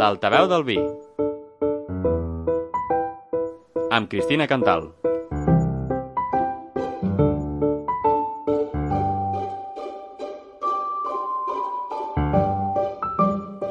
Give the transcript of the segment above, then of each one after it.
L'altaveu del vi. Amb Cristina Cantal.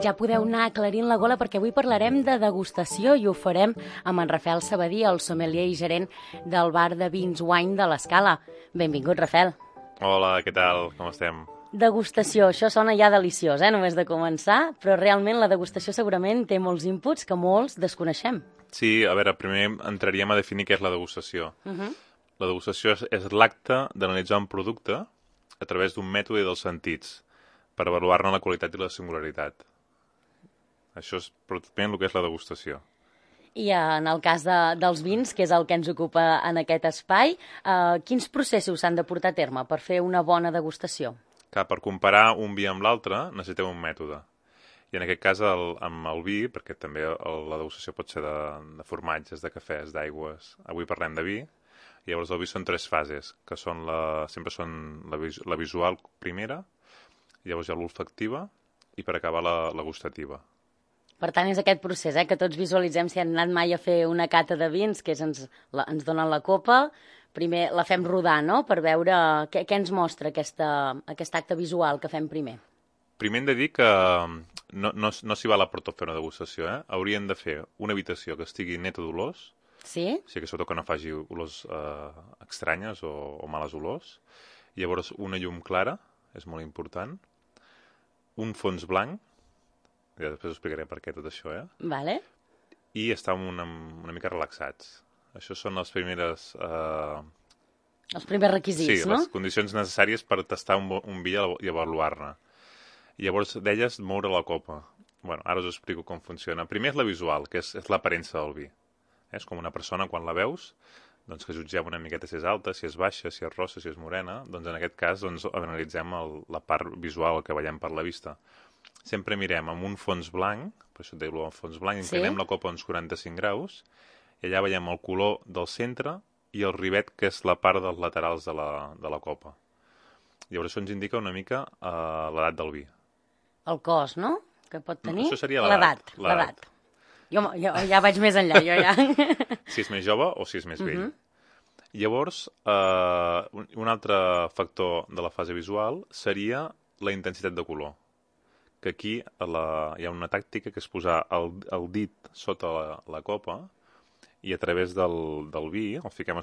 Ja podeu anar aclarint la gola perquè avui parlarem de degustació i ho farem amb en Rafael Sabadí, el sommelier i gerent del bar de vins Wine de l'Escala. Benvingut, Rafael. Hola, què tal? Com estem? Degustació, això sona ja deliciós, només de començar, però realment la degustació segurament té molts inputs que molts desconeixem. Sí, a veure, primer entraríem a definir què és la degustació. La degustació és l'acte d'analitzar un producte a través d'un mètode dels sentits per avaluar-ne la qualitat i la singularitat. Això és pràcticament el que és la degustació. I en el cas dels vins, que és el que ens ocupa en aquest espai, quins processos s'han de portar a terme per fer una bona degustació? Clar, per comparar un vi amb l'altre necessitem un mètode. I en aquest cas amb el vi, perquè també la degustació pot ser de formatges, de cafès, d'aigües. Avui parlem de vi. I llavors el vi són tres fases, que són sempre són la visual primera, llavors hi ha l'olfactiva i per acabar la gustativa. Per tant, és aquest procés, que tots visualitzem si han anat mai a fer una cata de vins, que és ens donen la copa, primer la fem rodar, no?, per veure què ens mostra aquest acte visual que fem primer. Primer hem de dir que no s'hi val a portar a fer una degustació, Haurien de fer una habitació que estigui neta d'olors, sí? O sigui que sobretot que no faci olors estranyes o males olors. Llavors una llum clara, és molt important, un fons blanc, ja després us explicaré per què tot això, Vale. I estar una mica relaxats. Això són les primeres... Els primers requisits, no? Sí, les condicions necessàries per tastar un vi i avaluar-ne. Llavors, d'elles, moure la copa. Bueno, ara us explico com funciona. Primer és la visual, que és l'aparença del vi. És com una persona, quan la veus, doncs que jutgem una miqueta si és alta, si és baixa, si és rossa, si és morena. Doncs en aquest cas analitzem la part visual, el que veiem per la vista. Sempre mirem amb un fons blanc, per això et deia el fons blanc, inclinem la copa a uns 45 graus, i allà veiem el color del centre i el rivet, que és la part dels laterals de la copa. Llavors això ens indica una mica l'edat del vi. El cos, no?, que pot tenir? Això seria l'edat. Jo ja vaig més enllà, jo ja. Si és més jove o si és més vell. Llavors, un altre factor de la fase visual seria la intensitat de color. Que aquí hi ha una tàctica que és posar el dit sota la copa i a través del vi, el fiquem a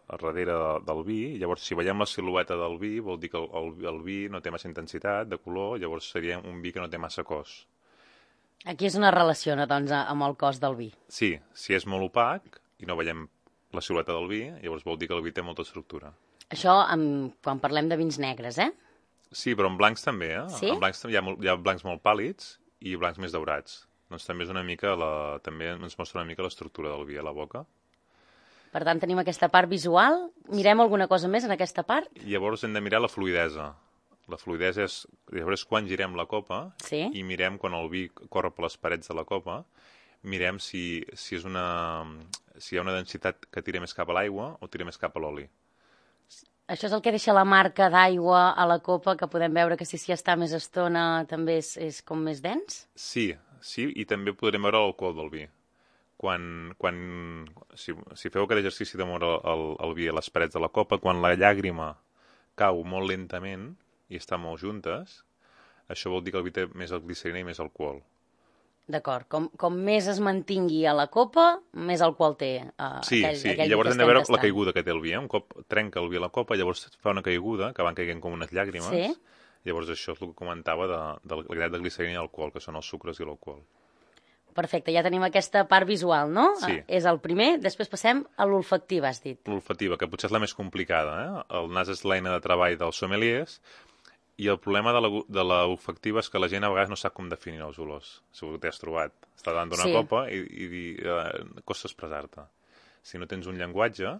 darrere del vi, i llavors si veiem la silueta del vi vol dir que el vi no té massa intensitat de color, llavors seria un vi que no té massa cos. Aquí és una relació, doncs, amb el cos del vi. Sí, si és molt opac i no veiem la silueta del vi, llavors vol dir que el vi té molta estructura. Això quan parlem de vins negres, Sí, però en blancs també, Sí? En blancs hi ha blancs molt pàl·lids i blancs més daurats. Doncs també és una mica també ens mostra una mica l'estructura del vi a la boca. Per tant, tenim aquesta part visual. Mirem alguna cosa més en aquesta part? Llavors hem de mirar la fluïdesa. La fluïdesa llavors quan girem la copa i mirem quan el vi corre per les parets de la copa, mirem si hi ha una densitat que tira més cap a l'aigua o tira més cap a l'oli. Això és el que deixa la marca d'aigua a la copa, que podem veure que si s'hi està més estona també és com més dens? Sí, i també podrem veure l'alcohol del vi. Si feu aquest exercici de moure el vi a les parets de la copa, quan la llàgrima cau molt lentament i està molt juntes, això vol dir que el vi té més glicerina i més alcohol. D'acord. Com més es mantingui a la copa, més alcohol té Sí, i llavors hem de veure la caiguda que té el vi. Un cop trenca el vi a la copa, llavors fa una caiguda, que van caient com unes llàgrimes. Sí. Llavors això és el que comentava de la quantitat de glicerina i alcohol, que són els sucres i l'alcohol. Perfecte, ja tenim aquesta part visual, no? Sí. És el primer, després passem a l'olfactiva, has dit. L'olfactiva, que potser és la més complicada, El nas és l'eina de treball dels sommeliers, i el problema de l'olfactiva és que la gent a vegades no sap com definir els olors. Segur que t'has trobat. Està davant d'una copa i costa expressar-te. Si no tens un llenguatge,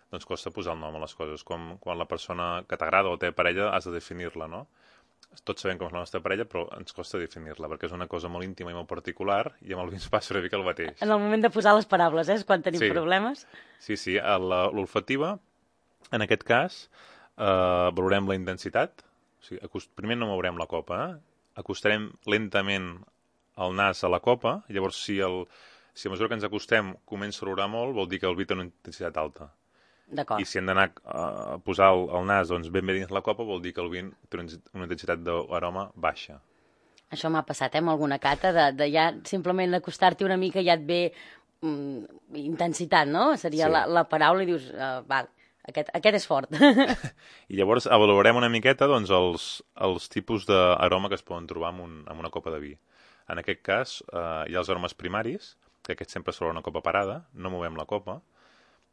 doncs costa posar el nom a les coses. Com quan la persona que t'agrada o té parella has de definir-la, no? Tots sabem com és la nostra parella, però ens costa definir-la, perquè és una cosa molt íntima i molt particular, i amb el vi ens passa una mica el mateix. En el moment de posar les paraules, és quan tenim problemes? Sí. L'olfactiva, en aquest cas, valorem la intensitat. O sigui, primer no mourem la copa, acostarem lentament el nas a la copa, llavors si a mesura que ens acostem comença a olorar molt, vol dir que el vi té una intensitat alta. D'acord. I si hem d'anar a posar el nas doncs, ben bé dins la copa, vol dir que el vi té una intensitat d'aroma baixa. Això m'ha passat, amb alguna cata, de ja simplement acostar-t'hi una mica ja et ve intensitat, no? Seria la paraula i dius, val, aquest és fort. I llavors avaluarem una miqueta doncs, els tipus d'aroma que es poden trobar en una copa de vi. En aquest cas, hi ha els aromes primaris, que aquests sempre són una copa parada, no movem la copa,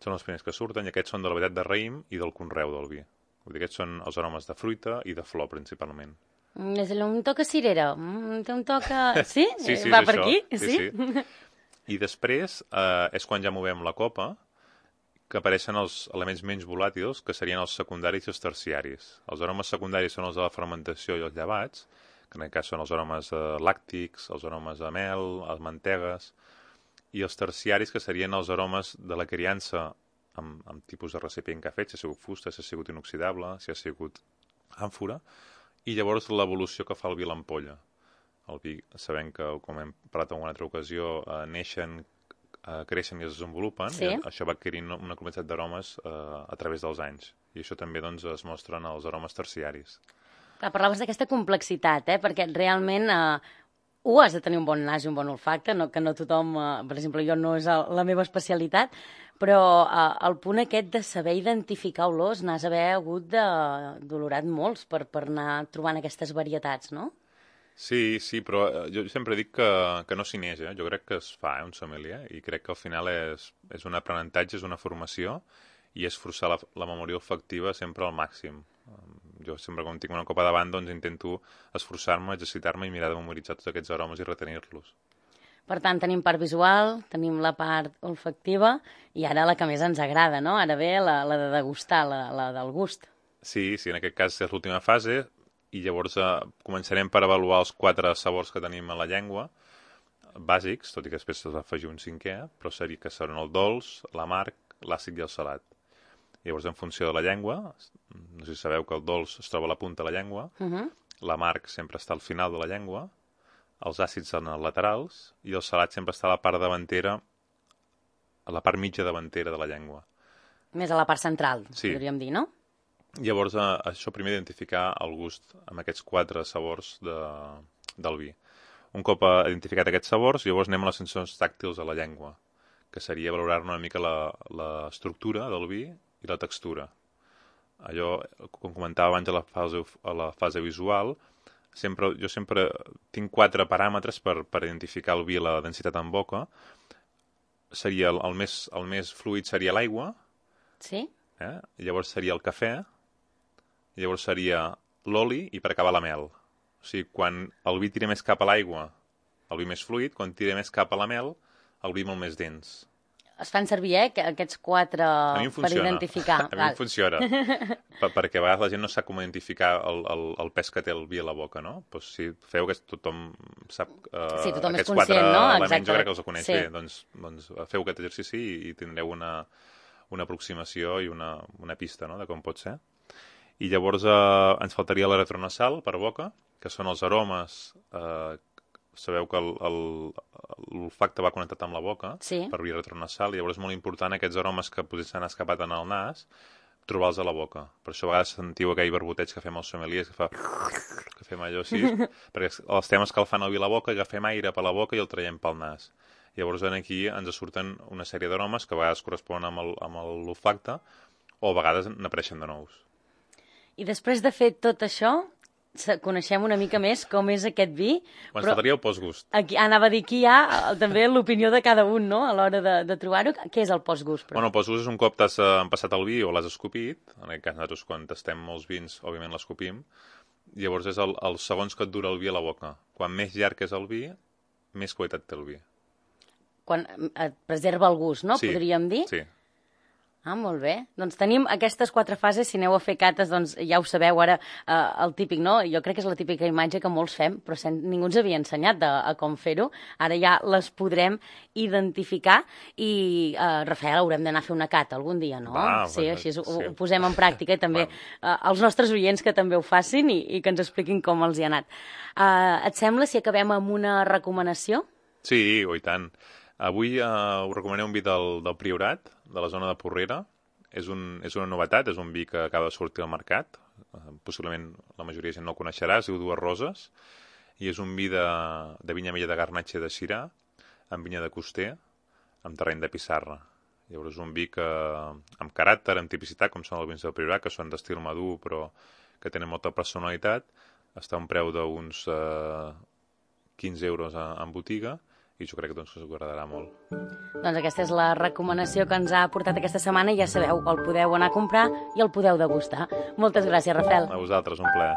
són els primers que surten, i aquests són de la varietat de raïm i del conreu del vi. Vull dir, aquests són els aromes de fruita i de flor, principalment. És un toc a cirera, té un toc a... Sí? Sí, Va per això. aquí? Sí. I després és quan ja movem la copa que apareixen els elements menys volàtils, que serien els secundaris i els terciaris. Els aromes secundaris són els de la fermentació i els llevats, que en aquest cas són els aromes làctics, els aromes de mel, les mantegues, i els terciaris, que serien els aromes de la criança amb tipus de recipient que ha fet, si ha sigut fusta, si ha sigut inoxidable, si ha sigut àmfora, i llavors l'evolució que fa el vi a l'ampolla. El vi, sabem que, com hem parlat en una altra ocasió, neixen, creixen i es desenvolupen, sí. I això va adquirint una quantitat d'aromes a través dels anys. I això també doncs, es mostren els aromes terciaris. Clar, parlaves d'aquesta complexitat, perquè realment has de tenir un bon nas i un bon olfacte, que no tothom, per exemple, jo no és la meva especialitat, però el punt aquest de saber identificar olors n'has d'haver hagut d'olorat molts per anar trobant aquestes varietats, no? Sí, però jo sempre dic que no s'hi neix, Jo crec que es fa, un sommelier, i crec que al final és un aprenentatge, és una formació, i és forçar la memòria olfactiva sempre al màxim. Jo sempre, quan tinc una copa davant, doncs intento esforçar-me, exercitar-me i mirar de memoritzar tots aquests aromes i retenir-los. Per tant, tenim part visual, tenim la part olfactiva, i ara la que més ens agrada, no? Ara ve la de degustar, la del gust. Sí, en aquest cas és l'última fase, i llavors començarem per avaluar els 4 sabors que tenim a la llengua, bàsics, tot i que després s'ha d'afegir un 5è, però seria que seran el dolç, l'amarg, l'àcid i el salat. Llavors, en funció de la llengua, no sé si sabeu que el dolç es troba a la punta de la llengua, l'amarg sempre està al final de la llengua, els àcids en els laterals, i el salat sempre està a la part davantera, a la part mitja davantera de la llengua. Més a la part central, podríem dir, no? Llavors, això primer identificar el gust amb aquests 4 sabors del vi. Un cop identificat aquests sabors, llavors anem a les sensacions tàctils de la llengua, que seria valorar una mica l'estructura del vi i la textura. Allò, com comentava abans a la fase visual, jo sempre tinc 4 paràmetres per identificar el vi i la densitat en boca. Seria el més fluid seria l'aigua, sí. Llavors seria el cafè, llavors seria l'oli i per acabar la mel. O sigui, quan el vi tira més cap a l'aigua, el vi més fluid, quan tira més cap a la mel, el vi molt més dens. Es fan servir, aquests 4 per identificar. A mi em funciona. Perquè a vegades la gent no sap com identificar el pes que té el vi a la boca, no? Doncs si feu que tothom sap tothom aquests és conscient, 4 no? elements, jo crec que els coneix bé. Doncs feu aquest exercici i tindreu una aproximació i una pista, no?, de com pot ser. I llavors ens faltaria la retronasal per boca, que són els aromes. Sabeu que l'olfacte va connectat amb la boca per via retronasal, i llavors és molt important aquests aromes que potser s'han escapat en el nas, trobar-los a la boca. Per això a vegades sentiu aquell barboteig que fem els sommeliers, que fem allò així, perquè els temes que el fan al vi a la boca, agafem aire per la boca i el traiem pel nas. Llavors aquí ens surten una sèrie d'aromes que a vegades corresponen amb l'olfacte o a vegades n'apareixen de nous. I després de fer tot això, coneixem una mica més com és aquest vi. Ens faltaria el postgust. Anava a dir, aquí hi ha també l'opinió de cada un, no?, a l'hora de trobar-ho. Què és el postgust? Bueno, el postgust és un cop t'has empassat el vi o l'has escopit. En aquest cas, nosaltres quan tastem molts vins, òbviament l'escopim. Llavors és els segons que et dura el vi a la boca. Quan més llarg és el vi, més qualitat té el vi. Quan et preserva el gust, no?, podríem dir? Sí. Ah, molt bé. Doncs tenim aquestes 4 fases, si aneu a fer cates, doncs ja ho sabeu ara, el típic, no? Jo crec que és la típica imatge que molts fem, però ningú ens havia ensenyat a com fer-ho. Ara ja les podrem identificar i, Rafael, haurem d'anar a fer una cata algun dia, no? Sí, així ho posem en pràctica i també els nostres oients que també ho facin i que ens expliquin com els hi ha anat. Et sembla si acabem amb una recomanació? Sí, i tant. Avui us recomanem un vi del Priorat, de la zona de Porrera. És una novetat, és un vi que acaba de sortir al mercat. Possiblement la majoria de gent no el coneixerà, es diu Dues Roses. I és un vi de vinya vella de Garnatxa de Sirà, amb vinya de Coster, amb terreny de pissarra. Llavors és un vi que, amb caràcter, amb tipicitat, com són els vins del Priorat, que són d'estil madur però que tenen molta personalitat, està a un preu d'uns 15 euros en botiga, i jo crec que us agradarà molt. Doncs aquesta és la recomanació que ens ha portat aquesta setmana i ja sabeu, el podeu anar a comprar i el podeu degustar. Moltes gràcies, Rafael. A vosaltres, un plaer.